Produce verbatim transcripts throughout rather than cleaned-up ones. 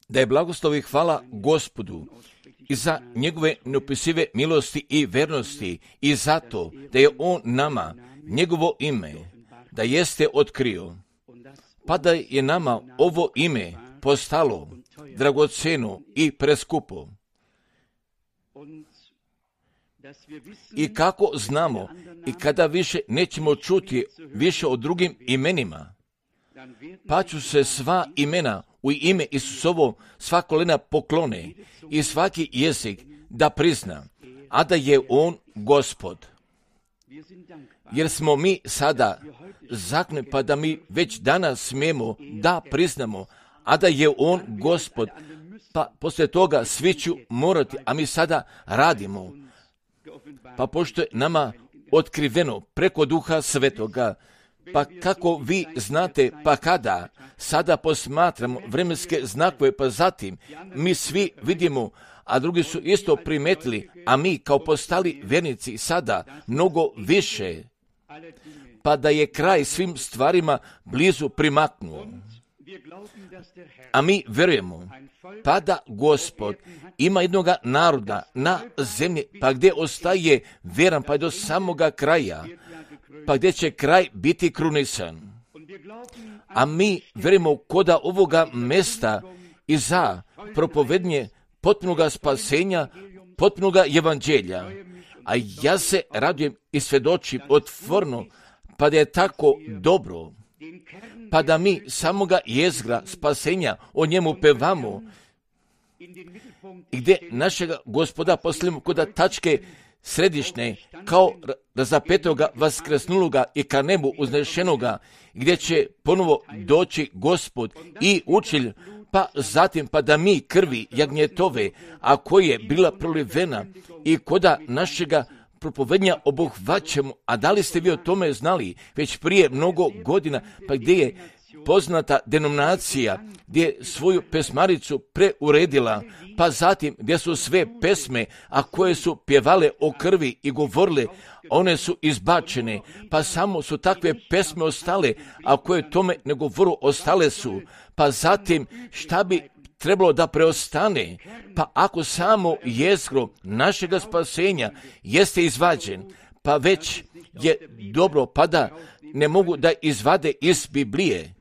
Da je blagoslov i hvala Gospodu i za njegove neopisive milosti i vernosti i zato da je on nama njegovo ime da jeste otkrio, pa da je nama ovo ime postalo dragoceno i preskupo. I kako znamo i kada više nećemo čuti više o drugim imenima, pa ću se sva imena u ime Isusovo sva kolena poklone i svaki jezik da prizna, a da je on Gospod. Jer smo mi sada zakne, pa da mi već danas smijemo da priznamo, a da je on Gospod, pa poslije toga svi ću morati, a mi sada radimo. Pa pošto je nama otkriveno preko Duha Svetoga, pa kako vi znate, pa kada sada posmatramo vremenske znakove, pa zatim mi svi vidimo, a drugi su isto primetili, a mi kao postali vjernici sada mnogo više, pa da je kraj svim stvarima blizu primaknuo. A mi vjerujemo, pa da Gospod ima jednoga naroda na zemlji, pa gdje ostaje vjeran, pa do samoga kraja, pa gdje će kraj biti krunisan. A mi vjerujemo koda ovoga mesta i za propovednje potpunoga spasenja, potpunoga evanđelja. A ja se radujem i svjedočim otvorno, pa da je tako dobro, pa da mi samoga jezgra spasenja o njemu pevamo, i gdje našega Gospoda postavimo kod tačke središnje, kao razapetoga, vaskresnuloga i ka nebu uznešenoga, gdje će ponovo doći Gospod i učitelj, pa zatim pa da mi krvi jagnjetove, a koja je bila prolivena i koda našega propovednja obuhvaćamo, a da li ste vi o tome znali već prije mnogo godina, pa gdje je poznata denominacija, gdje je svoju pesmaricu preuredila, pa zatim gdje su sve pesme, a koje su pjevale o krvi i govorile, one su izbačene, pa samo su takve pesme ostale, a koje tome ne govoru ostale su, pa zatim šta bi trebalo da preostane, pa ako samo jezgro našega spasenja jeste izvađen, pa već je dobro, pa da ne mogu da izvade iz Biblije.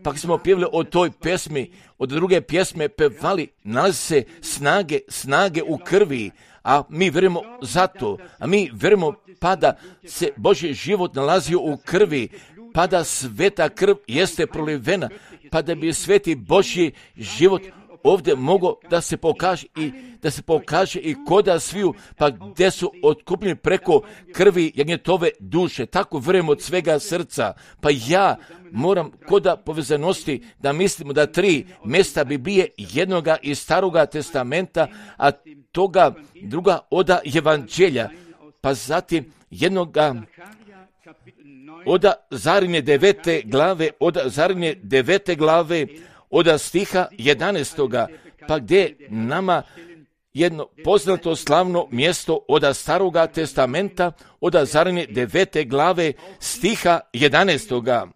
Pa smo pjevali o toj pesmi, od druge pjesme pevali, nalazi se snage, snage u krvi, a mi vjerujemo za to, a mi vjerujemo pa da se Božji život nalazio u krvi, pa da sveta krv jeste prolivena, pa da bi sveti Božji život ovdje mogao da se pokaže i da se pokaže i koda sviju, pa gdje su otkupljeni preko krvi jagnjetove duše. Tako vjerujem od svega srca. Pa ja moram koda povezanosti da mislimo da tri mjesta Biblije, jednoga iz Staroga testamenta, a toga druga oda evanđelja, pa zatim jednoga oda Zarine devete glave, oda Zarine devete glave, oda stiha jedanaestoga, pa gdje nama jedno poznato slavno mjesto oda Staroga testamenta, oda Zarine devete glave, stiha jedanaestoga.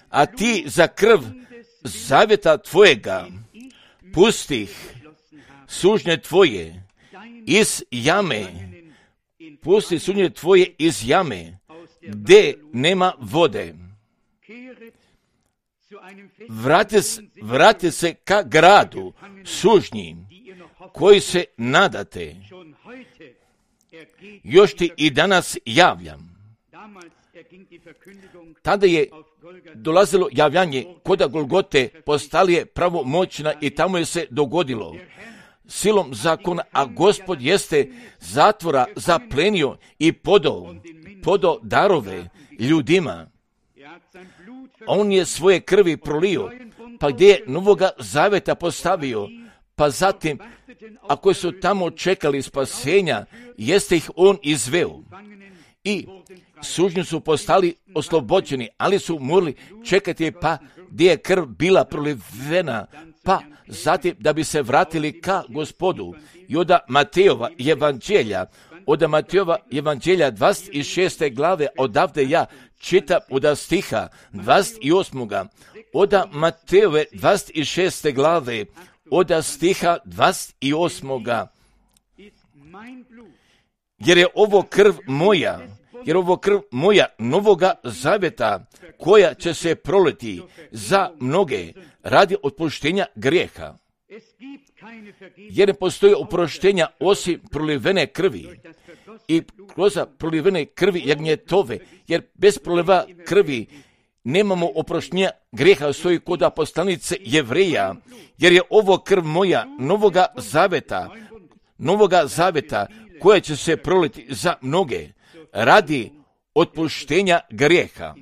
A ti za krv zavjeta tvojega pustih sužnje tvoje iz jame, pusti sužnje tvoje iz jame, gdje nema vode. Vrati, vrati se ka gradu sužnji koji se nadate. Još ti i danas javljam. Tada je dolazilo javljanje koda Golgote, postali je pravomoćna i tamo je se dogodilo silom zakona, a Gospod jeste zatvora zaplenio i podao, podao darove ljudima. On je svoje krvi prolio, pa gdje je novoga zaveta postavio, pa zatim, ako su tamo čekali spasenja, jeste ih on izveo. I sužnju su postali oslobođeni, ali su morali čekati pa gdje je krv bila prolivena, pa zatim da bi se vratili ka Gospodu. I od Matejova evanđelja, od Matejova evanđelja dvadeset šeste glave, odavde ja čitam od stiha dvadeset osmoga Od Matejove dvadeset šeste glave, od stiha dvadeset osmoga Jer je ovo krv moja, jer ovo krv moja novoga zaveta, koja će se proliti za mnoge radi otpuštenja grijeha. Jer ne postoji oproštenja osim prolivene krvi i kroz prolivene krvi jagnjetove, jer bez proliva krvi nemamo oproštenja grijeha, stoji kod poslanice Jevreja, jer je ovo krv moja novoga zaveta, novoga zaveta, koja će se proliti za mnoge radi otpuštenja grijeha.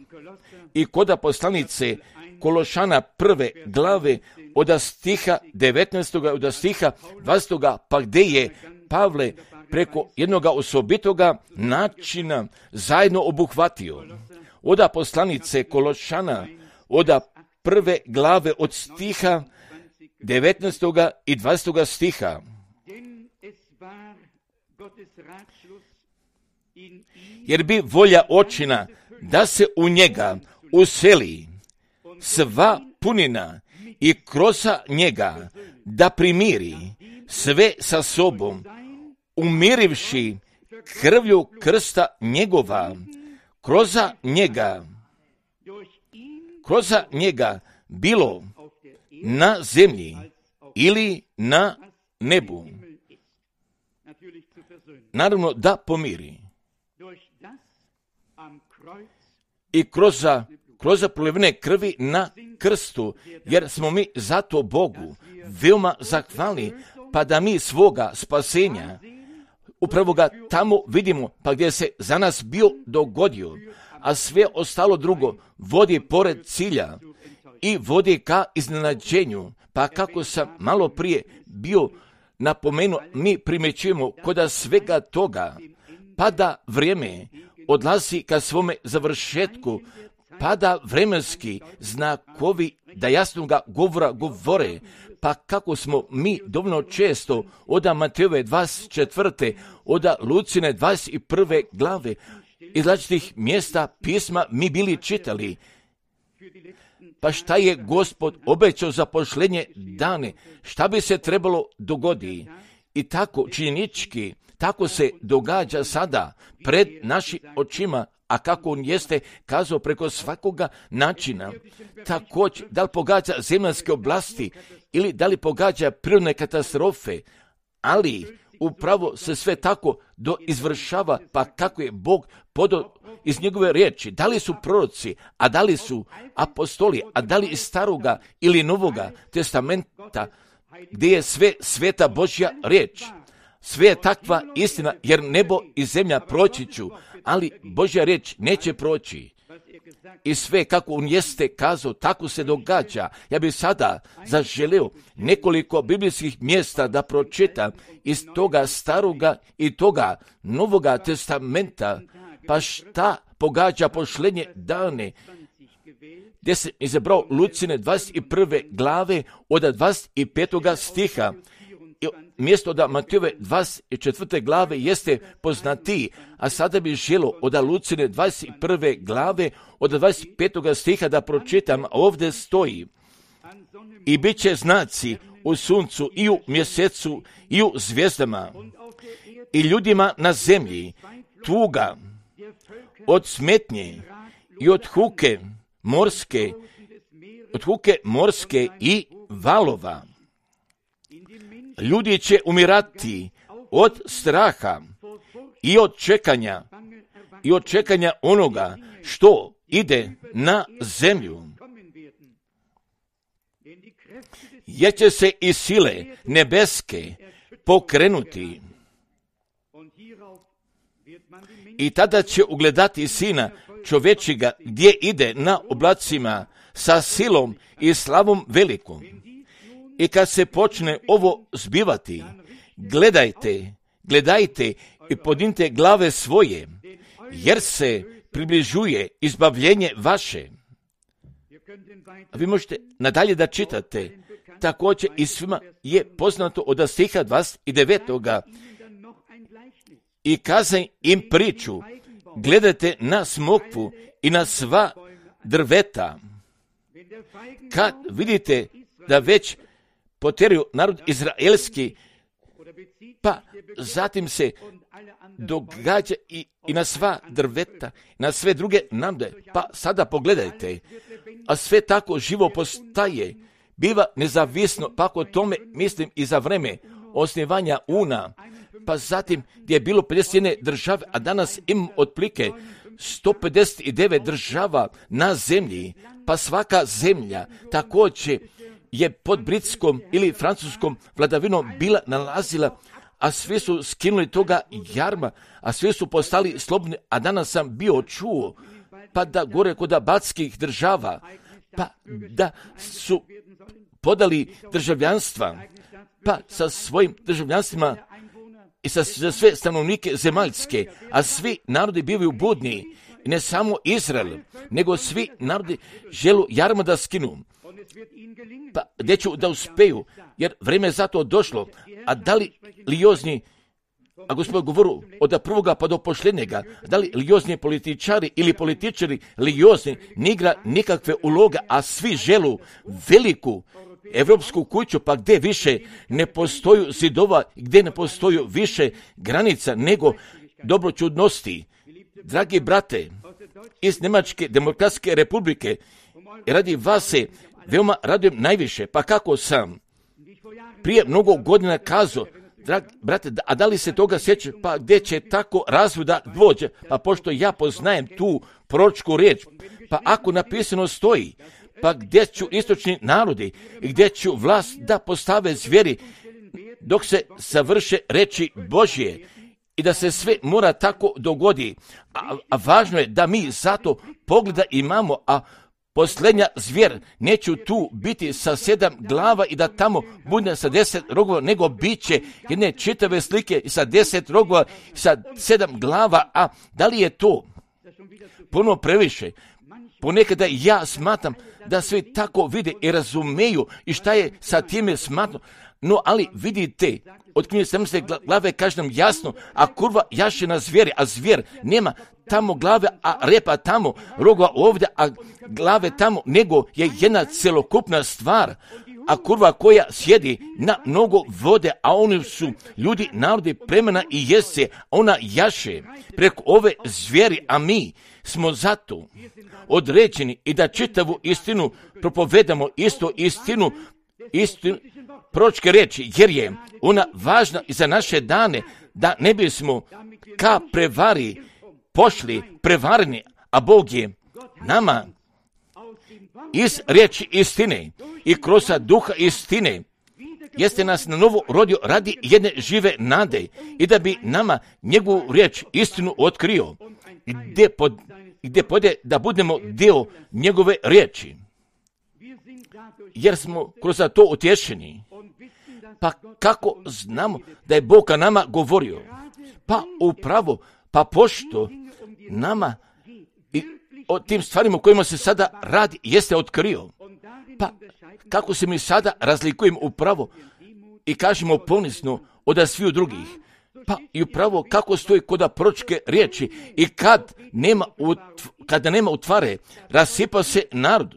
I kod poslanice Kološana prve glave od stiha devetnaestog od stiha dvadesetog pa gdje je Pavle preko jednoga osobitoga načina zajedno obuhvatio. Od poslanice Kološana od prve glave od stiha devetnaestog i dvadesetog stiha. Jer bi volja očina da se u njega useli sva punina i kroz njega da primiri sve sa sobom, umirivši krvlju krsta njegova, kroz njega, kroz njega bilo na zemlji ili na nebu. Naravno da pomiri. I kroz, kroz prolivene krvi na krstu, jer smo mi zato Bogu veoma zahvalni, pa da mi svoga spasenja upravo ga tamo vidimo, pa gdje se za nas bio dogodio, a sve ostalo drugo vodi pored cilja i vodi ka iznenađenju. Pa kako sam malo prije bio napomenuo, mi primjećujemo kod svega toga, pada vrijeme, odlazi ka svome završetku, pada vremenski znakovi da jasnoga govora govore, pa kako smo mi dovoljno često od Matejove dvadeset četvrte od Lucine dvadeset prve glave iz različitih mjesta pisma mi bili čitali. Pa šta je Gospod obećao za pošlenje dane, šta bi se trebalo dogoditi? I tako činjenički, tako se događa sada pred našim očima, a kako on jeste kazao preko svakoga načina. Također, da li pogađa zemaljske oblasti ili da li pogađa prirodne katastrofe, ali upravo se sve tako do izvršava, pa kako je Bog podao iz njegove riječi, da li su proroci, a da li su apostoli, a da li iz staroga ili novoga testamenta, gdje je sve sveta Božja riječ. Sve je takva istina, jer nebo i zemlja proći ću, ali Božja riječ neće proći. I sve kako on jeste kazao, tako se događa. Ja bih sada zaželio nekoliko biblijskih mjesta da pročitam iz toga staroga i toga novoga testamenta, pa šta pogađa pošlenje dane, gdje se izabrao Lucine dvadeset prve glave od dvadeset petog stiha. Mjesto da Matejove dvadeset četvrte glave jeste poznatiji, a sada bih želio od Lucine dvadeset prve glave od dvadeset petog stiha da pročitam. Ovdje stoji: i bit će znaci u suncu i u mjesecu i u zvijezdama i ljudima na zemlji tuga od smetnje i od huke morske, od huke morske i valova. Ljudi će umirati od straha i od čekanja i od čekanja onoga što ide na zemlju. Jer će se i sile nebeske pokrenuti. I tada će ugledati Sina čovječjega gdje ide na oblacima sa silom i slavom velikom. I kad se počne ovo zbivati, gledajte, gledajte i podnite glave svoje, jer se približuje izbavljenje vaše. A vi možete nadalje da čitate. Također i svima je poznato od stiha dvadeset devetog i kazaj im priču, gledajte na smokvu i na sva drveta. Kad vidite da već potjeraju narod izraelski, pa zatim se događa i, i na sva drveta, na sve druge namde. Pa sada pogledajte, a sve tako živo postaje, biva nezavisno, pa ako tome mislim i za vreme osnivanja una, pa zatim gdje je bilo pedeset jedna države, a danas imam otplike sto pedeset devet država na zemlji, pa svaka zemlja također je pod britskom ili francuskom vladavinom bila nalazila, a svi su skinuli toga jarma, a svi su postali slobodni, a danas sam bio čuo, pa da gore kod baltskih država, pa da su podali državljanstva, pa sa svojim državljanstvima i sa, za sve stanovnike zemaljske, a svi narodi bivaju budni, i ne samo Izrael, nego svi narodi želu jarma da skinu. Pa gdje ću da uspeju, jer vrijeme je zato došlo, a da li liozni, a gospod govoru od prvoga pa do posljednjega, da li liozni političari ili političari liozni ne igra nikakve uloga, a svi želu veliku evropsku kuću, pa gdje više ne postoju zidova, gdje ne postoju više granica nego dobroćudnosti. Dragi brate, iz Njemačke demokratske republike, radi vas se veoma radujem najviše, pa kako sam prije mnogo godina kazao, dragi brate, a da li se toga sjeća, pa gdje će tako razvoj da dođe, pa pošto ja poznajem tu proročku riječ, pa ako napisano stoji, pa gdje ću istočni narodi i gdje ću vlast da postave zvijeri dok se završe reči Božje i da se sve mora tako dogodi, a, a važno je da mi zato pogleda imamo, a posljednja zvijer neću tu biti sa sedam glava i da tamo bude sa deset rogova, nego bit će jedne čitave slike i sa deset rogova i sa sedam glava, a da li je to puno previše? Ponekada ja smatram da svi tako vide i razumeju i šta je sa time smatram. No, ali vidite, od knjige sedamnaeste glave kaže nam jasno, a kurva jaše na zvijeri, a zvijer nema tamo glave, a repa tamo, rogova ovdje, a glave tamo, nego je jedna celokupna stvar, a kurva koja sjedi na mnogo vode, a oni su ljudi, narodi, plemena i jesce, ona jaše preko ove zvijeri, a mi smo zato određeni i da čitavu istinu propovedamo, isto istinu, istinu, proročke riječi, jer je ona važna i za naše dane, da ne bismo ka prevari pošli prevareni, a Bog je nama iz riječi istine i kroz duha istine jeste nas na novo rodio radi jedne žive nade i da bi nama njegovu riječ istinu otkrio, gdje, pod, gdje pode da budemo dio njegove riječi, jer smo kroz to utješeni. Pa kako znamo da je Bog ka nama govorio? Pa upravo, pa pošto nama i o tim stvarima o kojima se sada radi jeste otkrio. Pa kako se mi sada razlikujemo upravo i kažemo ponizno od sviju drugih. Pa i upravo kako stoji kod proročke riječi i kad nema, utv, kada nema utvare, rasipa se narod.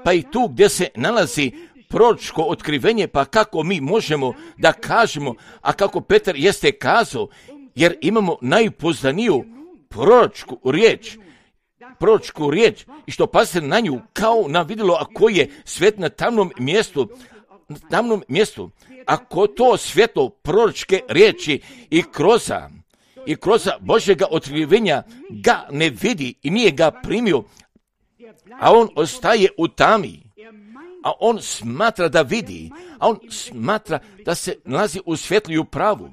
Pa i tu gdje se nalazi proročko otkrivenje, pa kako mi možemo da kažemo, a kako Petar jeste kazao, jer imamo najpoznaniju proročku riječ, proročku riječ, i što pazite na nju kao na vidjelo, ako je svet na tamnom mjestu, na tamnom mjestu, ako to svjetlo proročke riječi i kroza, i kroza Božjega otkrivenja ga ne vidi i nije ga primio, a on ostaje u tami, a on smatra da vidi, a on smatra da se nalazi u svjetlu i u pravu,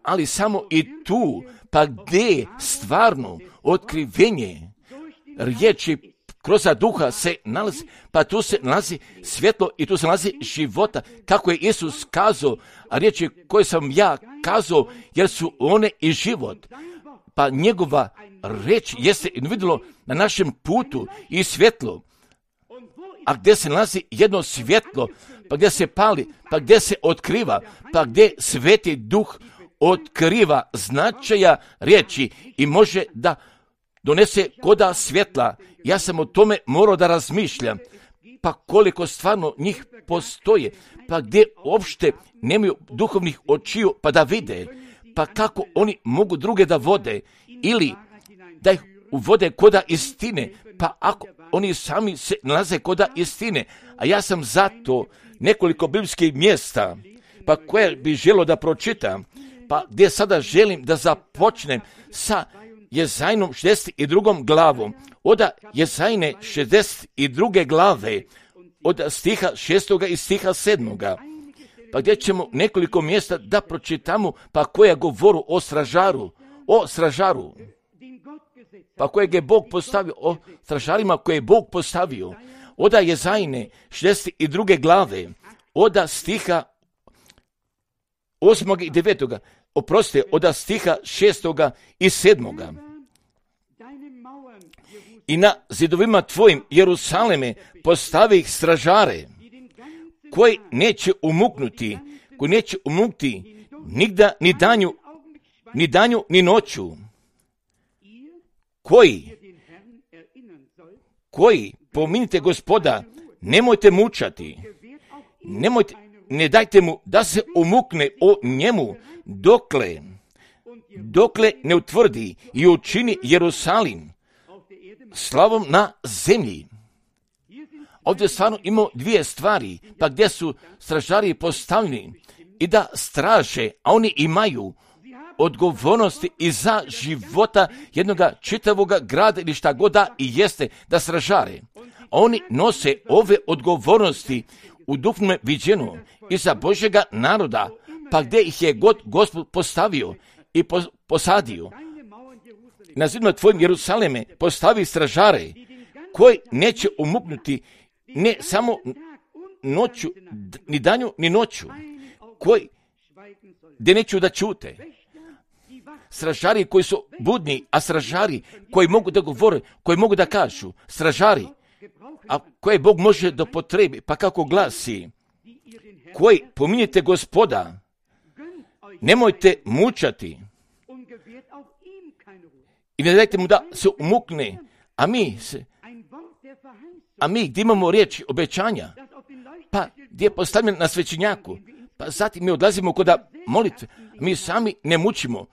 ali samo i tu, pa gdje stvarno otkrivenje riječi kroz duha se nalazi, pa tu se nalazi svjetlo i tu se nalazi života, kako je Isus kazao, a riječi koje sam ja kazao, jer su one i život. Pa njegova riječ jeste vidjelo na našem putu i svjetlo, a gdje se nalazi jedno svjetlo, pa gdje se pali, pa gdje se otkriva, pa gdje sveti duh otkriva značaja riječi i može da donese koda svjetla. Ja sam o tome morao da razmišljam. Pa koliko stvarno njih postoje, pa gdje uopšte nemaju duhovnih očiju pa da vide, pa kako oni mogu druge da vode ili da ih uvode koda istine, pa ako oni sami se nalaze koda istine, a ja sam zato nekoliko biblijskih mjesta, pa koje bi želio da pročitam, pa gdje sada želim da započnem sa Jezajnom šezdeset drugom glavom, od Jezajne šezdeset druge glave, od stiha šestoga i stiha sedmoga, pa gdje ćemo nekoliko mjesta da pročitamo, pa koja govoru o stražaru, o stražaru, pa kojeg je Bog postavio, o stražarima koje je Bog postavio, od Jezajne šezdeset druge glave, od stiha osmoga i devetoga, oprostite, od stiha šestoga i sedmoga. I na zidovima tvojim, Jerusaleme, postavi ih stražare, koji neće umuknuti, koji neće umuknuti nigda ni danju, ni danju, ni noću, koji, koji, pominite Gospoda, nemojte mučati, nemojte, ne dajte mu da se umukne o njemu, dokle, dokle ne utvrdi i učini Jerusalim slavom na zemlji. Ovdje stvarno imamo dvije stvari, pa gdje su stražari postavljeni i da straže, a oni imaju odgovornosti i za života jednog čitavog grada ili šta god da i jeste da stražare. A oni nose ove odgovornosti u duhovnom viđenju i za Božjega naroda, pa gdje ih je god Gospod postavio i posadio. Na zidima tvojim, Jerusaleme, postavi stražare koji neće umuknuti ne samo noću, ni danju, ni noću, koji gdje neću da čute. Stražari koji su budni, a stražari koji mogu da govore, koji mogu da kažu, stražari, a koje Bog može da potrebi, pa kako glasi, koji pominjete Gospoda, nemojte mučati i ne dajte mu da se umukne, a mi se, a mi gdje imamo riječ obećanja, pa gdje je postavljen na svećenjaku, pa zatim mi odlazimo kod molitve, mi sami ne mučimo,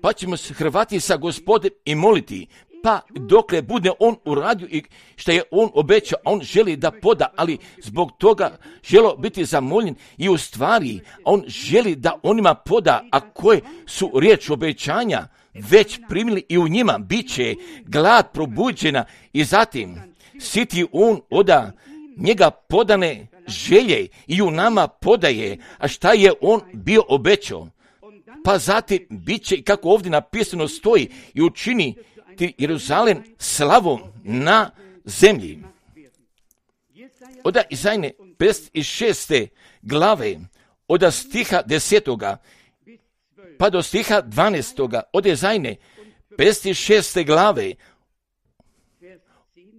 pa ćemo se hrvati sa Gospodem i moliti, pa dokle bude on uradio i što je on obećao, on želi da poda, ali zbog toga želo biti zamoljen i u stvari on želi da onima poda, a koje su riječ obećanja već primili i u njima bit će glad probuđena i zatim siti on oda njega podane želje i u nama podaje, a šta je on bio obećao. Pa zatim bit će, kako ovdje napisano stoji, i učini ti Jeruzalem slavom na zemlji. Od Jezajne pedeset šeste glave, od stiha desetoga pa do stiha dvanaestoga, od Jezajne pedeset šeste glave,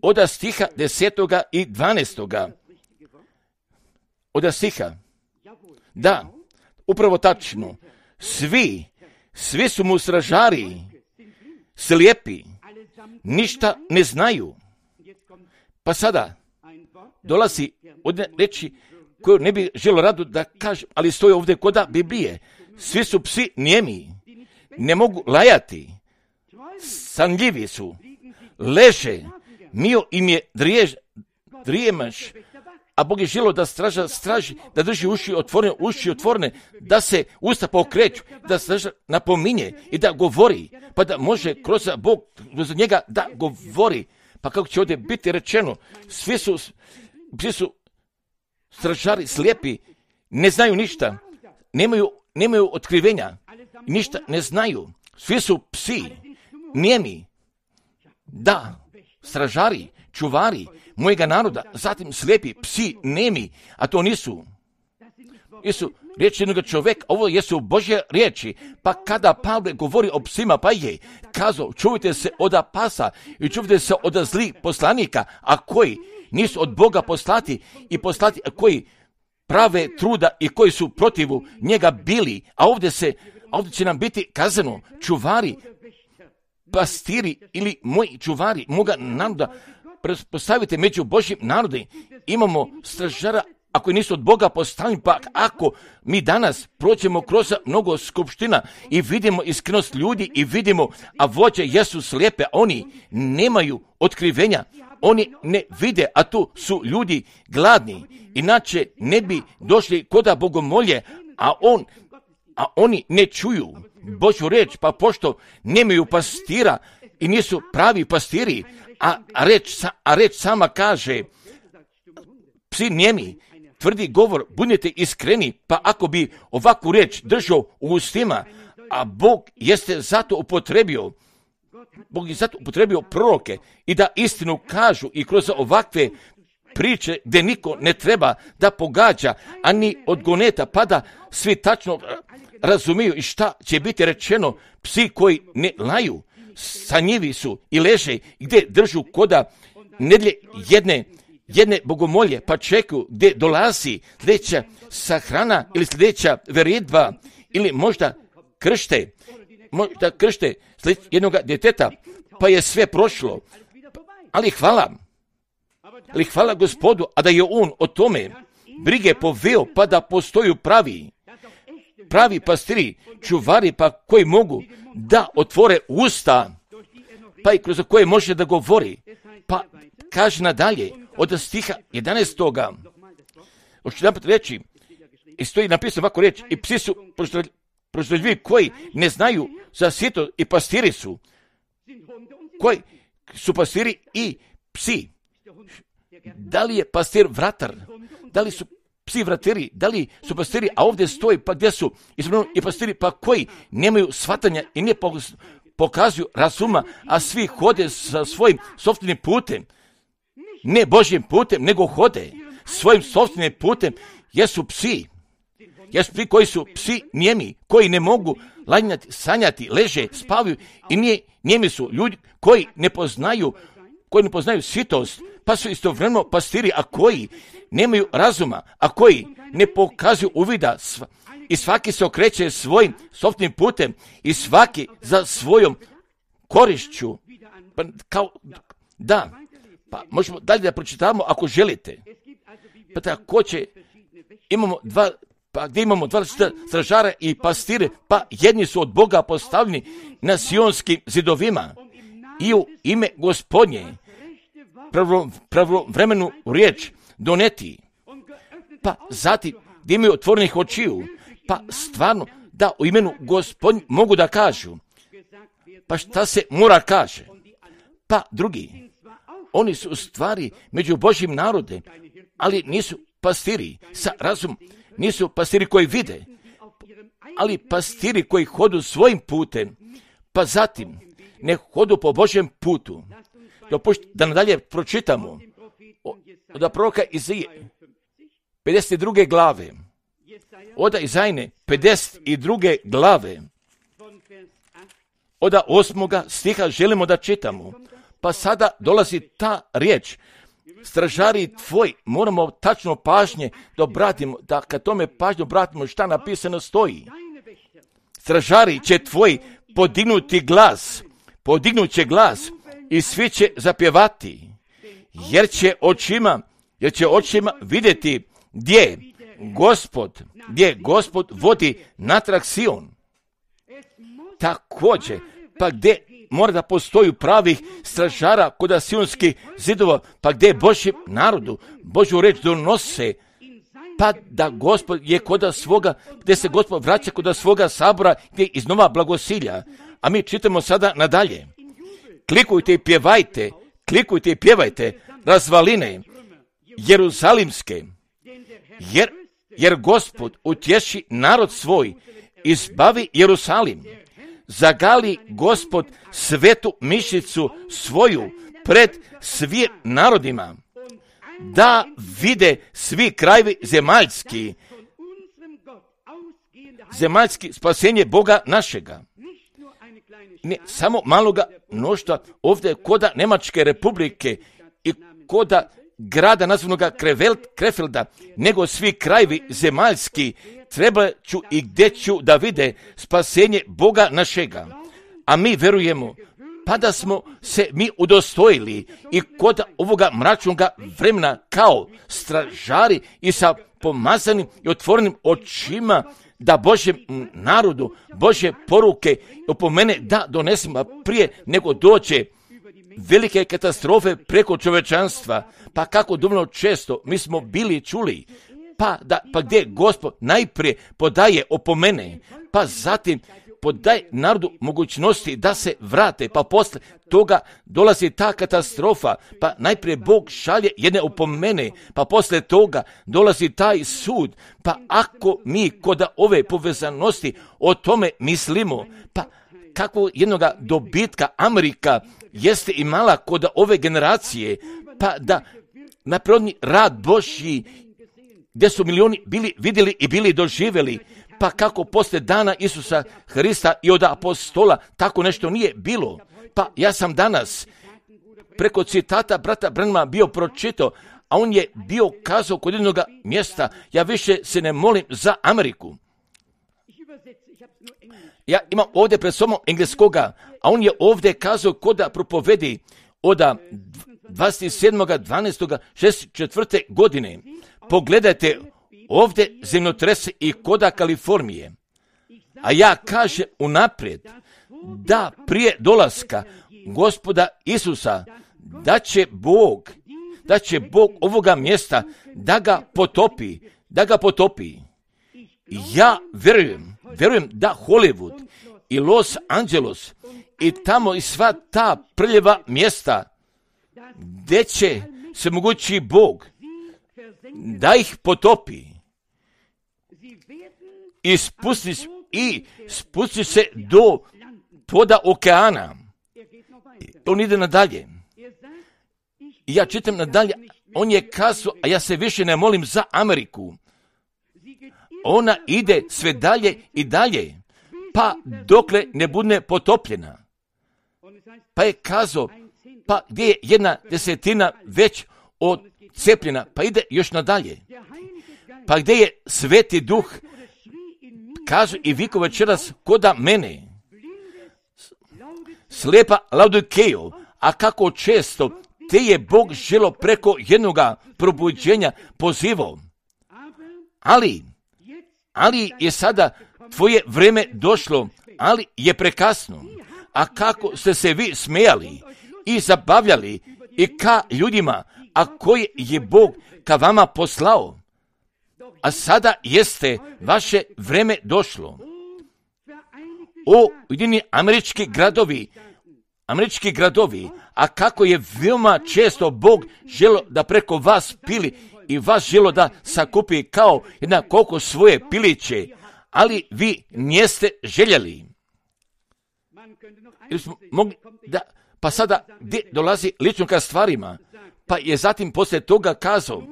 od stiha desetoga i dvanaestoga, od stiha, da, upravo tačno, svi, svi su mu stražari, slijepi, ništa ne znaju. Pa sada dolazi od reči koju ne bi želio rado da kažem, ali stoji ovdje koda Biblije. Svi su psi nijemi, ne mogu lajati, sanljivi su, leže, mio im je drijež, drijemaš, a Bog je želio da straža straži, da drži uši otvorene, uši otvorene, da se usta pokreću, da straža napominje i da govori, pa da može kroz Bog, kroz njega da govori. Pa kako će ovdje biti rečeno, svi su, svi su stražari slijepi, ne znaju ništa, nemaju, nemaju otkrivenja, ništa ne znaju, svi su psi, nijemi, da, stražari, čuvari mojega naroda, zatim slijepi, psi, nemi, a to nisu. Jesu riječi jednog čovjeka, ovo jesu Božje riječi, pa kada Pavle govori o psima, pa je kazao, čuvajte se od pasa i čuvajte se od zlih poslanika, a koji nisu od Boga poslati i poslati, a koji prave truda i koji su protivu njega bili, a ovdje se, a ovdje će nam biti kazano, čuvari, pastiri ili moji čuvari moga naroda, postavite među Božjim narodom. Imamo stražara, ako nisu od Boga postavljeni, pa ako mi danas prođemo kroz mnogo skupština i vidimo iskrenost ljudi i vidimo, a vođe jesu slijepe, oni nemaju otkrivenja, oni ne vide, a tu su ljudi gladni, inače ne bi došli koda bogomolje, a on, a oni ne čuju Božju reč, pa pošto nemaju pastira i nisu pravi pastiri, a reč, a reč sama kaže, psi njemi, tvrdi govor, budite iskreni, pa ako bi ovakvu reč držao u ustima, a Bog jeste zato upotrebio, Bog je zato upotrebio proroke i da istinu kažu i kroz ovakve priče gdje niko ne treba da pogađa, ani od goneta, pa da svi tačno razumiju i šta će biti rečeno. Psi koji ne laju, sanjivi su i leže gdje držu koda nedlje jedne jedne bogomolje, pa čekaju gdje dolazi sljedeća sahrana ili sljedeća veridba ili možda kršte, možda kršte jednog djeteta, pa je sve prošlo. Ali hvala, ali hvala Gospodu, a da je on o tome brige poveo, pa da postoju pravi, pravi pastiri, čuvari, pa koji mogu da otvore usta, pa i kroz koje može da govori, pa kaže nadalje, od stiha jedanaestoga Hoću jedan put reći, i stoji napisano ovako reći, i psi su proždeljivi koji ne znaju za sito i pastiri su, koji su pastiri i psi. Da li je pastir vratar? Da li su psi vratiri? Da li su pastiri? A ovdje stoji, pa gdje su i pastiri, pa koji nemaju shvatanja i ne pokazuju razuma, a svi hode sa svojim sopstvenim putem. Ne Božjim putem, nego hode svojim sopstvenim putem, jesu psi. Jesu psi koji su psi njemi, koji ne mogu lanjati, sanjati, leže, spavaju i nije, njemi su ljudi koji ne poznaju, koji ne poznaju sitost, pa su istovremeno pastiri, a koji nemaju razuma, a koji ne pokazuju uvida i svaki se okreće svojim sopstvenim putem i svaki za svojom korišću. Pa, kao, da, pa možemo dalje da pročitamo ako želite. Pa također imamo dva, pa gdje imamo dva stražara i pastire, pa jedni su od Boga postavljeni na sionskim zidovima i u ime Gospodnje pravovremenu riječ doneti. Pa zatim gdje imaju otvorenih očiju, pa stvarno da u imenu Gospodnje mogu da kažu. Pa šta se mora kaže? Pa drugi, oni su u stvari među Božjim narodem, ali nisu pastiri sa razumom, nisu pastiri koji vide, ali pastiri koji hodu svojim putem, pa zatim ne hodu po Božjem putu. Dopušt, da nadalje pročitamo od proroka Izaije, pedeset druge glave, od Izajne, pedeset druge glave, od osmoga stiha želimo da čitamo. Pa sada dolazi ta riječ, stražari tvoj, moramo tačno pažnje da obratimo, da kad tome pažnje obratimo šta napisano stoji. Stražari će tvoj podignuti glas, podignut će glas i svi će zapjevati, jer će očima, jer će očima vidjeti gdje Gospod, gdje Gospod vodi natrag Sion. Također, pa gdje mora da postoji pravih stražara kod sionskih zidova, pa gdje Božjem narodu Božju reč donose, pa da Gospod je kod svoga, gdje se Gospod vraća kod svoga sabora, gdje iznova blagosilja. A mi čitamo sada nadalje. Klikujte i pjevajte, klikujte i pjevajte razvaline jeruzalimske, jer, jer Gospod utješi narod svoj, izbavi Jerusalim. Zagali Gospod svetu mišicu svoju pred svim narodima, da vide svi krajevi zemaljski, zemaljski spasenje Boga našega. Ne samo maloga mnoštva ovdje koda Njemačke republike i koda grada nazvanog Krefelda, nego svi krajevi zemaljski treba ću i gdje ću da vide spasenje Boga našega. A mi verujemo, pa da smo se mi udostojili i kod ovoga mračnoga vremena kao stražari i sa pomazanim i otvorenim očima da Božjem narodu, Božje poruke opomene da donesemo prije nego dođe velike katastrofe preko čovečanstva. Pa kako dovoljno često mi smo bili čuli, pa, da, pa gdje Gospod najprije podaje opomene, pa zatim podaje narodu mogućnosti da se vrate, pa posle toga dolazi ta katastrofa, pa najprije Bog šalje jedne opomene, pa posle toga dolazi taj sud. Pa ako mi kod ove povezanosti o tome mislimo, pa kako jednoga dobitka Amerika jeste imala kod ove generacije, pa da naprirodni rad Božji gdje su milioni bili vidjeli i bili doživjeli, pa kako poslije dana Isusa Hrista i od apostola tako nešto nije bilo. Pa ja sam danas preko citata brata Branhama bio pročitao, a on je bio kazao kod jednog mjesta, ja više se ne molim za Ameriku. Ja imam ovdje pred sobom engleskoga, a on je ovdje kazao kod propovedi od dvadeset sedmog dvanaestog šezdeset četvrte godine. Pogledajte ovdje zemljotrese i koda Kalifornije. A ja kažem unaprijed da prije dolaska Gospoda Isusa da će Bog, da će Bog ovoga mjesta da ga potopi, da ga potopi. Ja verujem, verujem da Hollywood i Los Angeles i tamo i sva ta prljeva mjesta gdje će se mogući Bog da ih potopi i spusti, i spusti se do poda okeana. On ide nadalje. I ja čitam nadalje, on je kazao, a ja se više ne molim za Ameriku. Ona ide sve dalje i dalje, pa dokle ne bude potopljena. Pa je kazao, pa gdje je jedna desetina već odcepljena, pa ide još nadalje. Pa gdje je Sveti Duh, kažu i viko večeras koda mene, slepa Laodikejo, a kako često te je Bog želo preko jednoga probuđenja pozivao. Ali, ali je sada tvoje vreme došlo, ali je prekasno. A kako ste se vi smijali i zabavljali i ka ljudima, a koje je Bog ka vama poslao, a sada jeste vaše vreme došlo. O Ujedinjeni američki gradovi, američki gradovi, a kako je veoma često Bog želo da preko vas pili i vas želo da sakupi kao jedna koliko svoje piliće, ali vi niste željeli. Ili smo mogli da, pa sada gdje dolazi lično ka stvarima, pa je zatim poslije toga kazao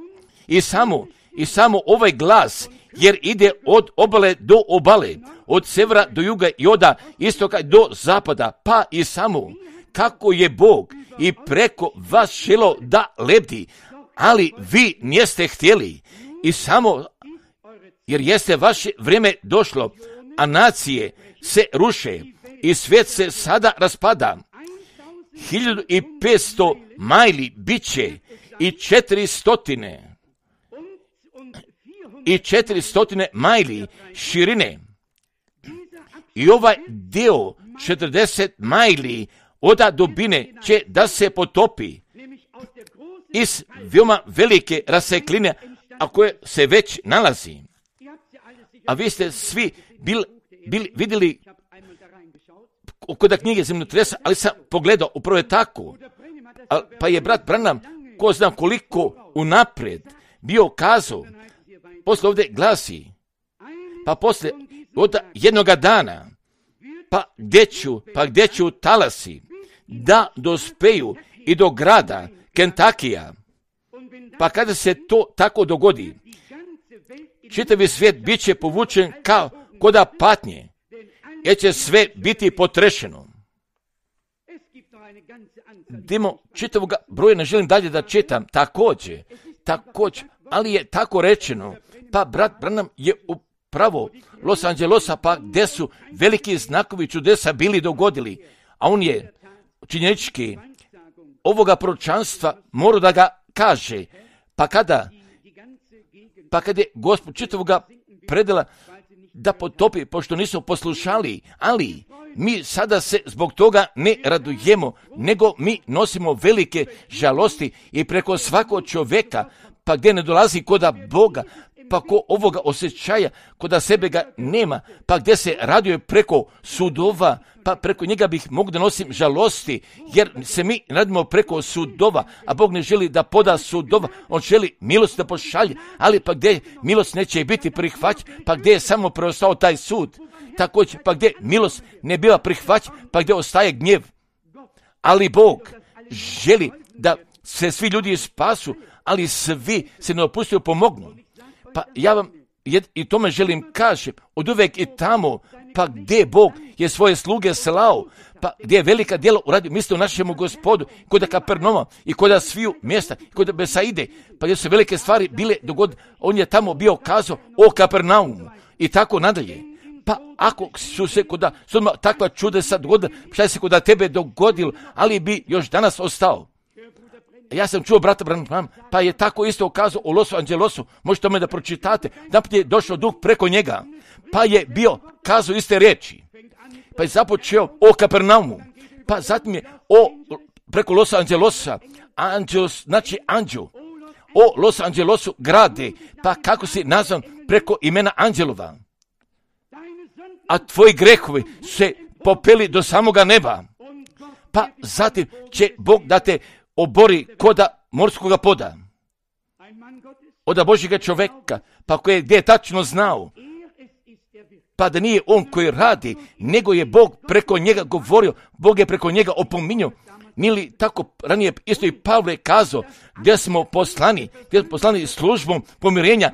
i samo, i samo ovaj glas, jer ide od obale do obale, od severa do juga i od istoka do zapada, pa i samo kako je Bog i preko vas želo da lebdi, ali vi niste htjeli i samo jer jeste vaše vrijeme došlo, a nacije se ruše i svijet se sada raspada. Hiljadu i petsto majli bit će i četiri stotine i četiri stotine majli širine. I ovaj dio četrdeset majli od dubine će da se potopi iz veoma velike rasekline, a koje se već nalazi. A vi ste svi bili bil, vidjeli kod knjige zemljotresa, ali sam pogledao, upravo je tako. A, pa je brat Branham, ko znam koliko unaprijed, bio kazao, posle ovdje glasi, pa posle od jednoga dana, pa gdje ću, pa gdje ću talasi, da dospeju i do grada Kentakija. Pa kada se to tako dogodi, čitavi svijet bit će povučen kao koda patnje, jer će sve biti potrešeno. Dimo čitavog broja, ne želim dalje da čitam, također, također, ali je tako rečeno, pa brat Branham je upravo Los Angelesa, pa gdje su veliki znakovi čudesa bili dogodili, a on je činjenički ovoga proročanstva morao da ga kaže, pa kada, pa kada je Gospod čitavoga predela da potopi, pošto nisu poslušali, ali mi sada se zbog toga ne radujemo, nego mi nosimo velike žalosti i preko svakog čovjeka, pa gdje ne dolazi koda Boga, pa ko ovoga osjećaja, koda sebe ga nema, pa gdje se raduje preko sudova, pa preko njega bih mogu da nosim žalosti, jer se mi radimo preko sudova, a Bog ne želi da poda sudova, on želi milost da pošalje, ali pa gdje milost neće biti prihvaćen, pa gdje je samo preostao taj sud, također pa gdje milost ne biva prihvaćen, pa gdje ostaje gnjev. Ali Bog želi da se svi ljudi spasu, ali svi se ne opustuju pomognu. Pa ja vam i tome želim kažem, od uvek i tamo, pa gdje Bog je svoje sluge slao, pa gdje je velika djela uradio, mislite o našemu Gospodu, kod Kapernoma i kod sviju mjesta, kod Besaide, pa gdje su velike stvari bile dogod, on je tamo bio kazao o Kapernaumu i tako nadalje. Pa ako su se kod takva čudesa dogodila, šta se kod tebe dogodilo, ali bi još danas ostao. Ja sam čuo brata Branham, pa je tako isto ukazao u Los Angelesu, možete me da pročitate, da je došao duh preko njega, pa je bio kazao iste riječi, pa je započeo o Kapernaumu, pa zatim je o, preko Los Angelesa, Angelos, znači anđel, o Los Angelesu grade, pa kako si nazvan preko imena Anđelova, a tvoji grehovi se popeli do samoga neba, pa zatim će Bog da te obori koda morskoga poda. Oda Božjega čovjeka, pa koji je gdje je tačno znao, pa da nije on koji radi, nego je Bog preko njega govorio, Bog je preko njega opominjao. Nije li tako ranije isto i Pavle kazao, gdje smo poslani, gdje smo poslani službom pomirenja,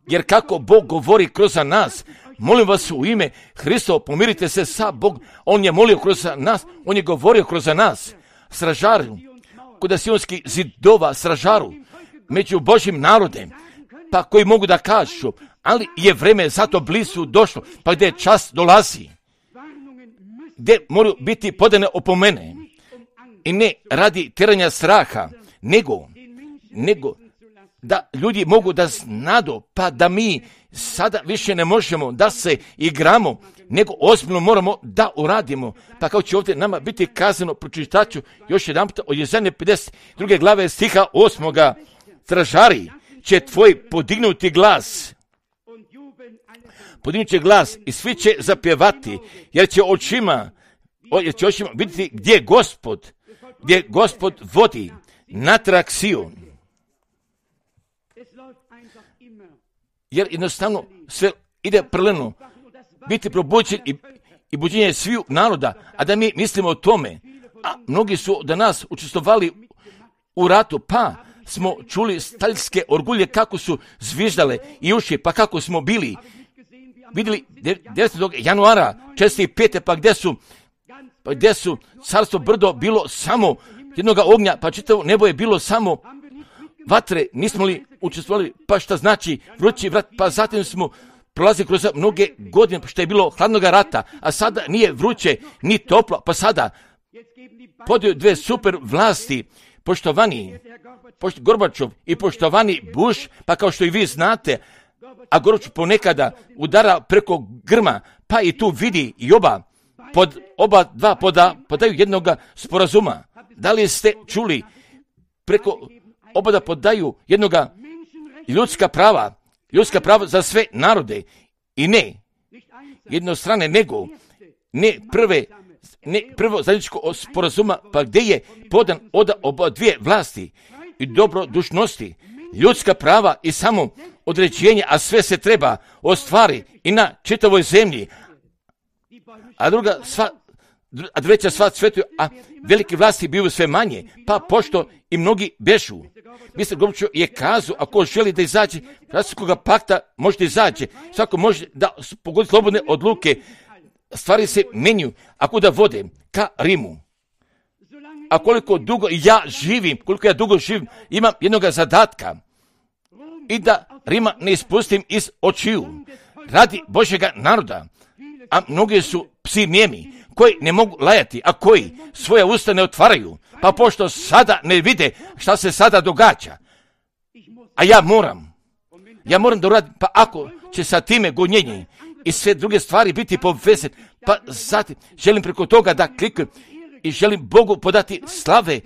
jer kako Bog govori kroz nas, molim vas u ime Hristo, pomirite se sa Bogom, on je molio kroz nas, on je govorio kroz nas, stražaru, kod sionskih zidova stražaru, među Božjim narodem, pa koji mogu da kažu, ali je vreme zato blizu došlo, pa gdje čas dolazi, gdje moraju biti podane opomene, i ne radi teranja straha, nego, nego da ljudi mogu da znadu, pa da mi sada više ne možemo da se igramo, nego ozbiljno moramo da uradimo. Pa kao će ovdje nama biti kazano, pročitat ću još jedan puta od Jezanje pedeset druge glave stiha osmoga. Stražari će tvoj podignuti glas, podignut će glas i svi će zapjevati, jer će očima, jer će očima vidjeti gdje Gospod, gdje Gospod vodi natrag Sion. Jer jednostavno sve ide prleno, biti probuđen i, i buđenje sviju naroda, a da mi mislimo o tome, a mnogi su da nas učestvovali u ratu, pa smo čuli staljske orgulje kako su zviždale i uši, pa kako smo bili, vidjeli devetog januara četrdeset pete pa gdje su, pa gdje su carstvo brdo bilo samo jednoga ognja, pa čitavo nebo je bilo samo vatre, nismo li učestvovali, pa šta znači vrući vrat, pa zatim smo prolazili kroz mnoge godine, što je bilo hladnoga rata, a sada nije vruće, ni toplo, pa sada podaju dve super vlasti, poštovani pošto, Gorbačov i poštovani Bush, pa kao što i vi znate, a Gorbačov ponekada udara preko grma, pa i tu vidi i oba, pod oba dva poda, podaju jednoga sporazuma. Da li ste čuli preko oba da podaju jednoga ljudska prava, ljudska prava za sve narode i ne jednostrane, nego ne prve, ne prvo zajedničko sporazuma, pa gdje je podan od oba dvije vlasti i dobrodušnosti, ljudska prava i samo određenje, a sve se treba ostvari i na čitavoj zemlji, a druga sva, a treća sva svetu, a velike vlasti biju sve manje, pa pošto i mnogi bešu. mister Gorbačov je kazao, ako želi da izađe Rastavskoga pakta, možete izađe. Svako može da pogodi slobodne odluke. Stvari se menju, ako da vode ka Rimu. a koliko dugo ja živim, koliko ja dugo živim, imam jednog zadatka i da Rima ne ispustim iz očiju radi Božjega naroda, a mnogi su psi nijemi, koji ne mogu lajati, a koji svoje usta ne otvaraju, pa pošto sada ne vide šta se sada događa, a ja moram, ja moram da uradim, pa ako će sa time gonjenje i sve druge stvari biti povezane, pa zatim želim preko toga da klikujem i želim Bogu podati slave,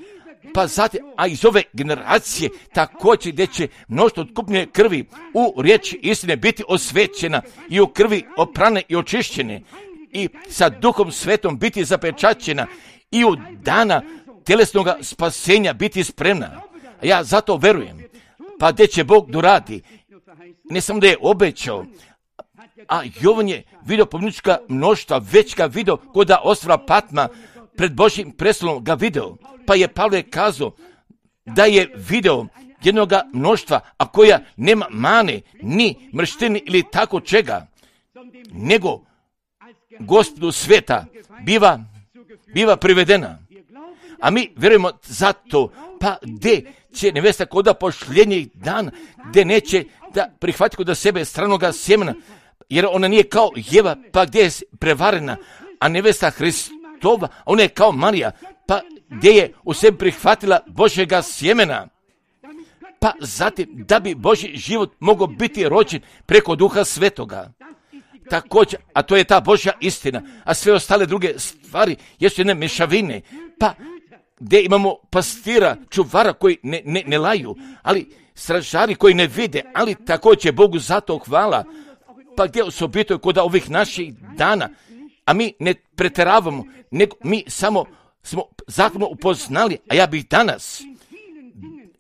pa zatim, a iz ove generacije također gdje će mnoštvo otkupljene krvi u riječi istine biti osvećena i u krvi oprane i očišćene i sa Duhom Svetom biti zapečaćena i u dana tjelesnog spasenja biti spremna. A ja zato verujem, pa gdje će Bog doradi, ne samo da je obećao, a Jovan je vidio pomnička mnoštva, već ga vidio kod ostrva Patma, pred Božjim prestolom ga video, pa je Pavle kazao da je video jednog mnoštva, a koja nema mane, ni mrštine ili tako čega, nego Gospodu sveta biva, biva privedena. A mi vjerujemo zato, pa gdje će nevesta koda pošljenjih dana, gdje neće da prihvati kod sebe stranoga sjemena, jer ona nije kao Jeva, pa gdje je prevarena, a nevesta Hristova, ona je kao Marija, pa gdje je u sebi prihvatila Božjega sjemena, pa zatim da bi Božji život mogao biti rođen preko Duha Svetoga. Također, a to je ta Božja istina, a sve ostale druge stvari jesu jedne mešavine, pa gdje imamo pastira, čuvara koji ne, ne, ne laju, ali stražari koji ne vide, ali također Bogu zato hvala, pa gdje osobito kod ovih naših dana, a mi ne preteravamo, nego mi samo smo zakonom upoznali, a ja bih danas,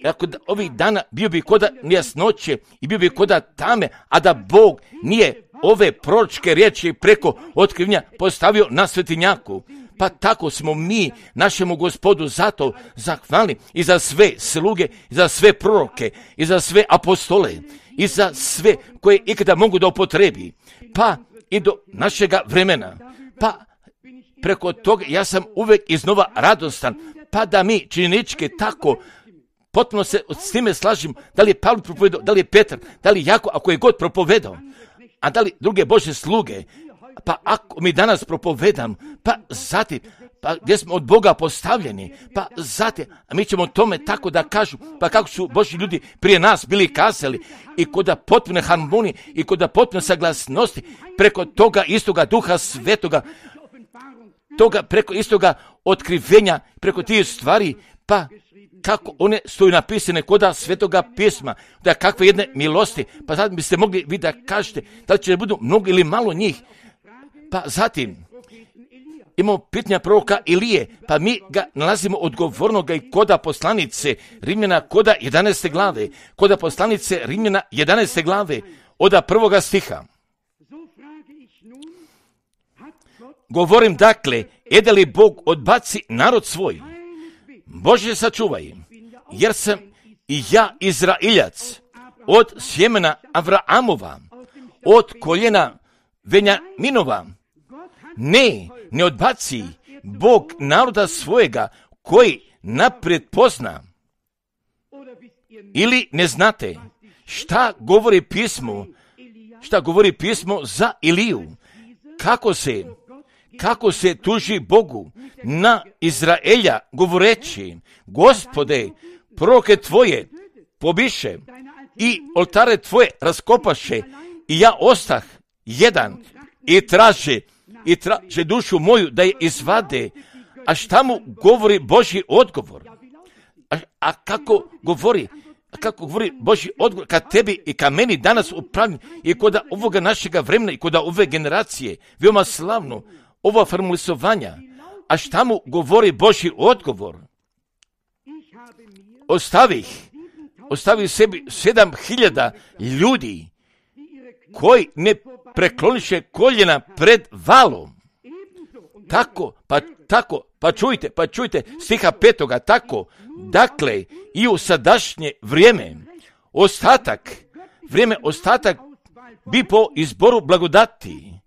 ako da, ovih dana bio bi koda nejasnoće i bio bi koda tame, a da Bog nije ove proročke riječi preko otkrivenja postavio na svetinjaku. Pa tako smo mi našemu Gospodu zato zahvalni i za sve sluge, i za sve proroke, i za sve apostole, i za sve koje ikada mogu da upotrebi, pa i do našega vremena. Pa preko toga ja sam uvijek iznova radostan, pa da mi činjenički tako potpuno se s time slažem, da li je Pavle propovedao, da li je Petar, da li je Jako, ako je god propovedao, a da li druge Božje sluge, pa ako mi danas propovedam, pa zatim, pa gdje smo od Boga postavljeni, pa zatim, a mi ćemo tome tako da kažu, pa kako su Božji ljudi prije nas bili kazali, i kod potpune harmonije, i kod potpune saglasnosti, preko toga istoga Duha Svetoga, toga preko istoga otkrivenja, preko tih stvari, pa kako one stoju napisane koda Svetoga pisma, da kakve jedne milosti, pa sad biste mogli vi da kažete da li će budu mnogo ili malo njih. Pa zatim imamo pitanja proroka Ilije, pa mi ga nalazimo odgovornoga i koda poslanice Rimljana koda jedanaeste glave, koda poslanice Rimljana jedanaeste glave, oda prvoga stiha. Govorim dakle, ede li Bog odbaci narod svoj? Bože sačuvaj, jer sam i ja Izraeljac, od sjemena Avraamova, od koljena Venjaminova. Ne, ne odbaci Bog naroda svojega, koji naprijed pozna. Ili ne znate šta govori pismo, šta govori pismo za Iliju, kako se kako se tuži Bogu na Izraelja, govoreći, Gospode, proroke tvoje pobiše i oltare tvoje raskopaše, i ja ostah jedan i traže, i traže dušu moju da je izvade. A šta mu govori Božji odgovor? A, a kako govori? A kako govori Božji odgovor ka tebi i ka meni danas upravljen i kod ovoga našega vremena i kod ove generacije? Veoma slavno ova formulisovanja. A šta mu govori Božji odgovor? Ostavih, ostavih sebi sedam hiljada ljudi koji ne prekloniše koljena pred valom. Tako, pa tako, pa čujte, pa čujte stiha petoga, tako, dakle, i u sadašnje vrijeme, ostatak, vrijeme ostatak bi po izboru blagodati.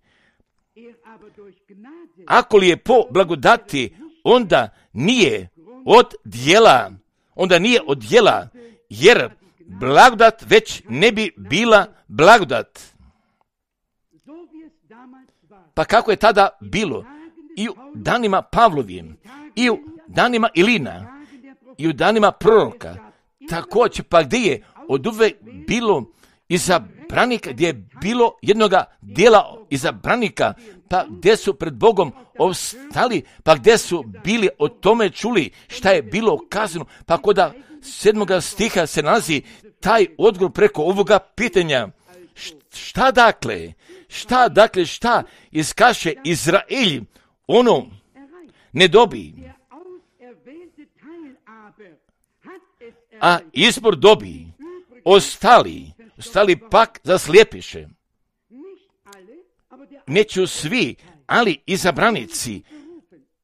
Ako li je po blagodati, onda nije od djela, onda nije od djela, jer blagodat već ne bi bila blagodat. Pa kako je tada bilo? I u danima Pavlovim, i u danima Ilina, i u danima proroka, također, pa gdje je od uvek bilo izabranika, gdje je bilo jednoga dijela izabranika, pa gdje su pred Bogom ostali, pa gdje su bili o tome čuli šta je bilo kazano, pa kod sedmoga stiha se nalazi taj odgovor preko ovoga pitanja. Šta dakle? Šta dakle? Šta iskaše Izraelj? Ono ne dobi, a izbor dobi. Ostali, ostali pak zaslijepiše. Neću svi, ali izabranici,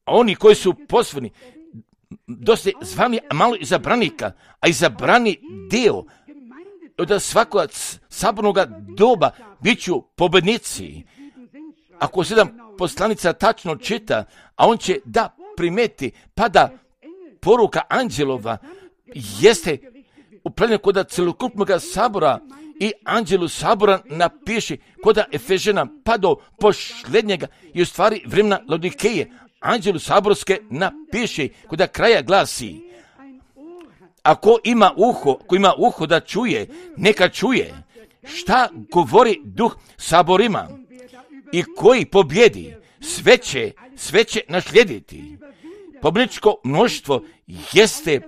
oni koji su pozvani, dosta zvani, a malo izabranika, a izabrani dio od svakoga sabornog doba bit ću pobednici. Ako sedam poslanica tačno čita, a on će da primeti, pa da poruka anđelova jeste upravljena kod celokupnog sabora i anđelu sabora napiše kod Efežena pa do posljednjega i u stvari vremena Laodikeje anđelu saborske napiše kod kraja glasi: ako ima uho, ko ima uho da čuje, neka čuje šta govori duh saborima, i koji pobjedi sve će, sve će naslijediti. Pobjedničko mnoštvo jeste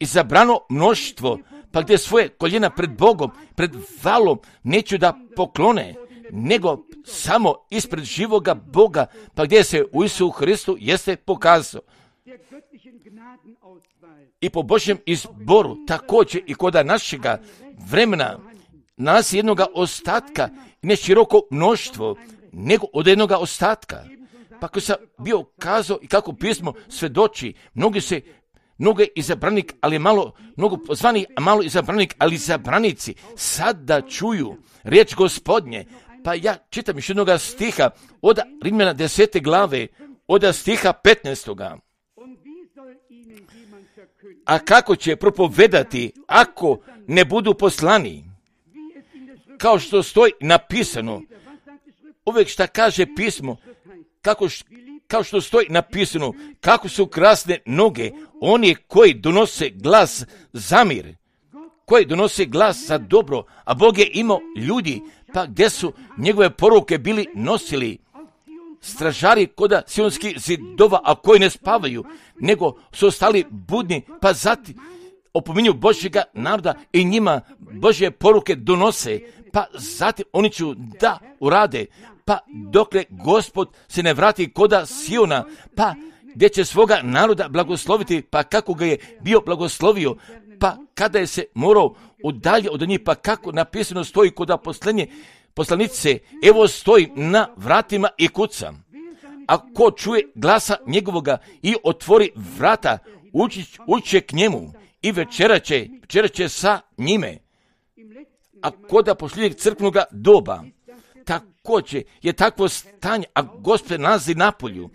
izabrano mnoštvo, pa gdje svoje koljena pred Bogom, pred valom neću da poklone, nego samo ispred živoga Boga, pa gdje se u Isusu Hristu jeste pokazao. I po Božjem izboru, također i kod našega vremena, nalazi jednoga ostatka, ne široko mnoštvo, nego od jednoga ostatka. Pa ako sam bio kazao i kako pismo svedoči, mnogi se mnogo izabranik, ali malo, mnogo pozvani, a malo izabranik, ali izabranici sad da čuju riječ Gospodnje. Pa ja čitam još jednoga stiha od Rimljana desete glave, od stiha petnaestoga. A kako će propovedati ako ne budu poslani? Kao što stoji napisano, uvijek šta kaže pismo, kako š, kao što stoji napisano, kako su krasne noge oni koji donose glas za mir, koji donose glas za dobro, a Bog je imao ljudi, pa gdje su njegove poruke bili nosili stražari koda sionskih zidova, a koji ne spavaju, nego su ostali budni, pa zatim opominju Božjega naroda i njima Božje poruke donose, pa zatim oni će da urade, pa dokle Gospod se ne vrati koda Siona, pa gdje će svoga naroda blagosloviti, pa kako ga je bio blagoslovio, pa kada je se morao udalje od njih, pa kako napisano stoji koda posljednje poslanice, evo stoji na vratima i kuca. A ko čuje glasa njegovoga i otvori vrata, ući, ući k njemu i večerat će, večerat će sa njime. A koda posljednjeg crkvenog doba, također je takvo stanje, a Gospod nalazi napolju,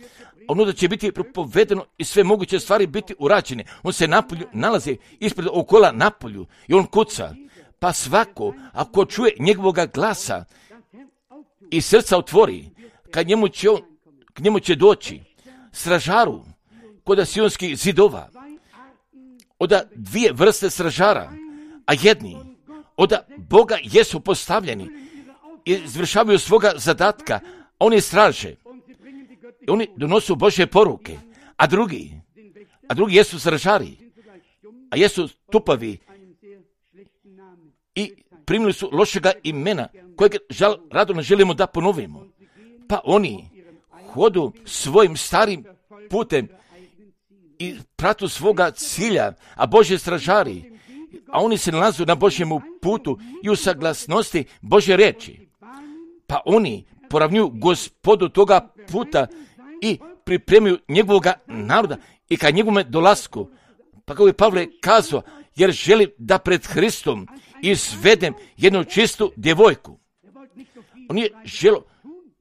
ono da će biti propovedeno i sve moguće stvari biti urađene. On se napolju nalazi ispred okola napolju i on kuca. Pa svako, ako čuje njegovoga glasa i srca otvori, kad njemu će on, k njemu će doći stražaru kod sionskih zidova, od dvije vrste stražara, a jedni od Boga jesu postavljeni i izvršavaju svoga zadatka, oni straže, oni donosu Božje poruke, a drugi, a drugi jesu stražari, a jesu tupavi i primili su lošega imena, kojeg žal, rado ne želimo da ponovimo. Pa oni hodu svojim starim putem i pratu svoga cilja, a Božje stražari, a oni se nalazu na Božjemu putu i u saglasnosti Božje riječi. Pa oni poravnjuju Gospodu toga puta i pripremaju njegovoga naroda i ka njegovome dolasku. Pa kako je Pavle kazao, jer želim da pred Hristom izvedem jednu čistu djevojku. On je želo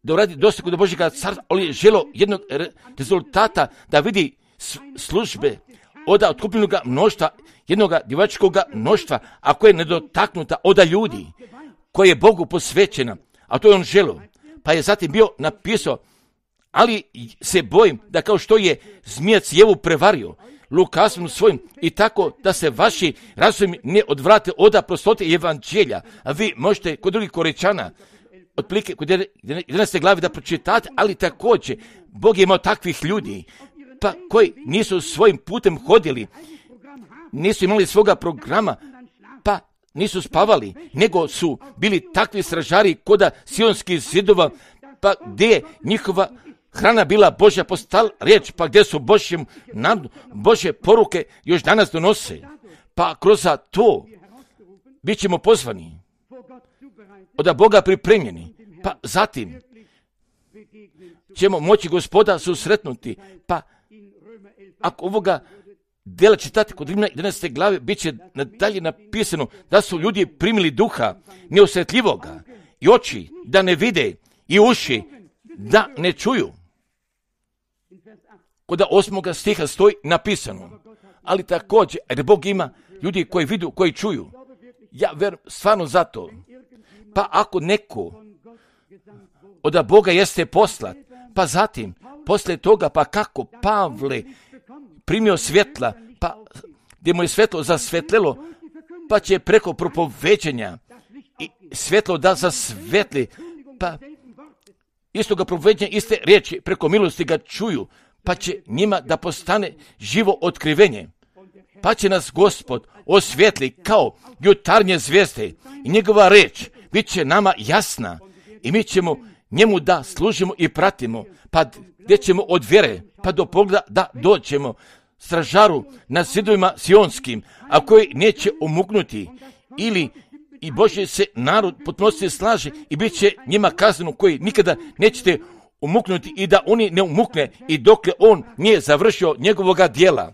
da uradi dostigu do Božjega carstva, ali je želo jednog re- rezultata da vidi službe od otkupljenoga mnoštva, jednoga djevačkoga mnoštva, a koja je nedotaknuta od ljudi, koja je Bogu posvećena, a to je on želio. Pa je zatim bio napisao, ali se bojim da kao što je zmijac Jevu prevario lukavstvom svojim i tako da se vaši razumi ne odvrate od prostote evanđelja, a vi možete kod drugih Korečana, otprilike kod jedanaeste glave da pročitate, ali također Bog je imao takvih ljudi, pa koji nisu svojim putem hodili, nisu imali svoga programa, pa nisu spavali, nego su bili takvi stražari koda sionskih zidova, pa gdje je njihova hrana bila Božja postala riječ, pa gdje su Božjem nam, Božje poruke još danas donose. Pa kroz to bit ćemo pozvani, od Boga pripremljeni, pa zatim ćemo moći Gospoda susretnuti, pa ako ovoga djela čitati kod Rimljana jedanaeste glave, bit će nadalje napisano da su ljudi primili duha neosjetljivoga i oči da ne vide i uši da ne čuju. Kod osmoga stiha stoji napisano, ali također, jer Bog ima ljudi koji vidu, koji čuju. Ja verujem stvarno zato. Pa ako neko od Boga jeste poslat, pa zatim, poslije toga, pa kako Pavle primio svjetla, pa gdje mu je svjetlo zasvetlelo, pa će preko propoveđenja i svjetlo da zasvetli, pa isto ga propoveđenja, iste riječi preko milosti ga čuju, pa će njima da postane živo otkrivenje. Pa će nas Gospod osvijetli kao jutarnje zvijezde i njegova riječ bit će nama jasna i mi ćemo njemu da služimo i pratimo, pa gdje ćemo od vjere pa do pogleda da dođemo stražaru na zidovima sionskim, a koji neće umuknuti, ili i Božji se narod potpunosti slaže i bit će njima kazano koji nikada nećete umuknuti i da oni ne umukne i dokle on nije završio njegovoga dijela.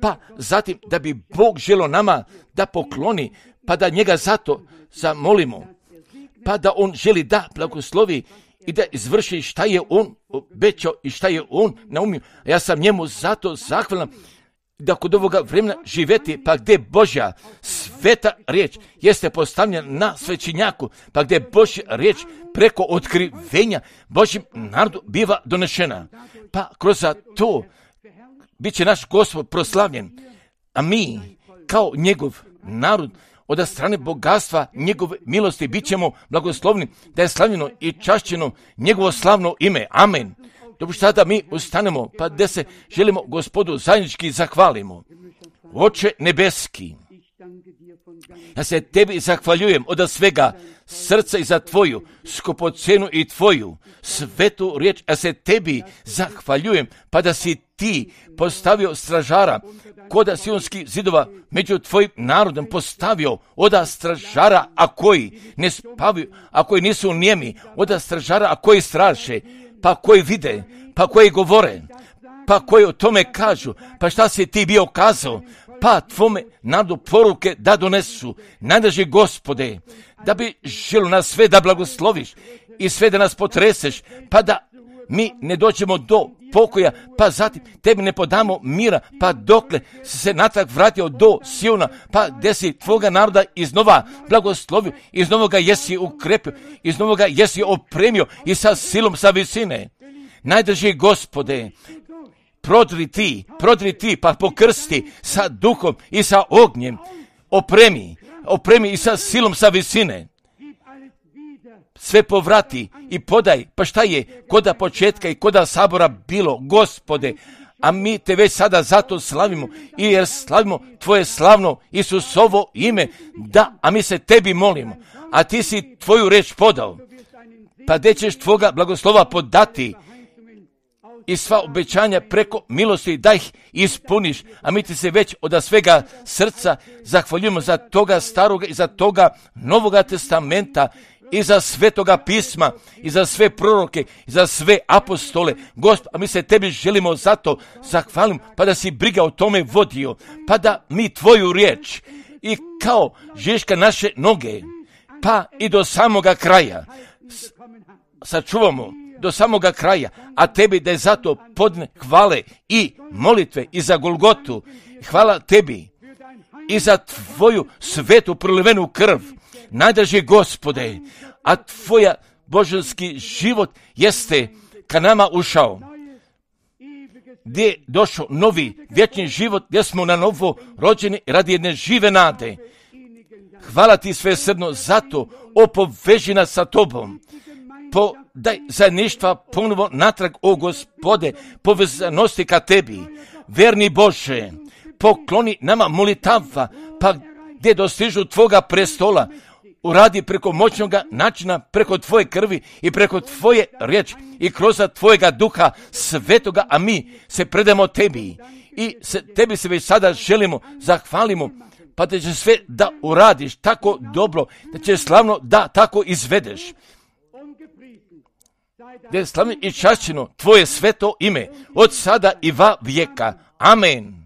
Pa zatim da bi Bog želio nama da pokloni, pa da njega zato zamolimo, pa da on želi da blagoslovi i da izvrši šta je on obećao i šta je on naumio. Ja sam njemu zato zahvalan da kod ovoga vremena živeti, pa gdje Božja sveta riječ jeste postavljena na svećenjaku, pa gdje Božja riječ preko otkrivenja Božjem narodu biva donešena. Pa kroz to bit će naš Gospod proslavljen, a mi kao njegov narod od strane bogatstva njegove milosti bit ćemo blagoslovni da je slavljeno i čašćeno njegovo slavno ime. Amen. Dobro, sada mi ustanemo, pa da se želimo Gospodu zajednički zahvalimo. Oče nebeski, ja se tebi zahvaljujem od svega srca i za tvoju skupocenu i tvoju svetu riječ. Ja se tebi zahvaljujem, pa da si ti postavio stražara koda sionskih zidova među tvojim narodom postavio oda stražara, a koji ne spavaju, a koji nisu nijemi, oda stražara, a koji straše, pa koji vide, pa koji govore, pa koji o tome kažu, pa šta si ti bio kazao, pa tvome narodu poruke da donesu. Najdraži Gospode, da bi želio nas sve da blagosloviš i sve da nas potreseš, pa da mi ne dođemo do pokoja, pa zatim tebi ne podamo mira, pa dokle si se natrag vratio do Siona, pa gdje si tvoga naroda iznova blagoslovio, iznova ga jesi ukrepio, iznova ga jesi opremio i sa silom sa visine. Najdraži Gospode, prodri ti, prodri ti, pa pokrsti sa duhom i sa ognjem, opremi, opremi i sa silom sa visine. Sve povrati i podaj, pa šta je koda početka i koda sabora bilo, Gospode, a mi te već sada zato slavimo i jer slavimo tvoje slavno Isusovo ime, da, a mi se tebi molimo, a ti si tvoju reč podao, pa gdje ćeš tvoga blagoslova podati i sva obećanja preko milosti da ih ispuniš, a mi ti se već od svega srca zahvaljujemo za toga staroga i za toga novoga testamenta i za svetoga pisma, i za sve proroke, i za sve apostole. Gospod, a mi se tebi želimo zato zahvalim, pa da si briga o tome vodio, pa da mi tvoju riječ i kao žiška naše noge, pa i do samoga kraja sačuvamo do samoga kraja, a tebi da je zato podne hvale i molitve i za Golgotu, hvala tebi i za tvoju svetu prolivenu krv, najdraži Gospode, a tvoja božanski život jeste ka nama ušao, gdje je došao novi vječni život, gdje smo na novo rođeni radi jedne žive nade. Hvala ti svesrdno za to, opoveži nas sa tobom. Podaj zajedništva ponovo natrag, o Gospode, povezanosti ka tebi. Verni Bože, pokloni nama molitava, pa gdje dostižu tvoga prestola, uradi preko moćnoga načina, preko tvoje krvi i preko tvoje riječi i kroz tvojega duha svetoga, a mi se predamo tebi i se, tebi se već sada želimo, zahvalimo, pa da će sve da uradiš tako dobro, da će slavno da tako izvedeš. Da je slavno i čašćeno tvoje sveto ime od sada i va vijeka. Amen.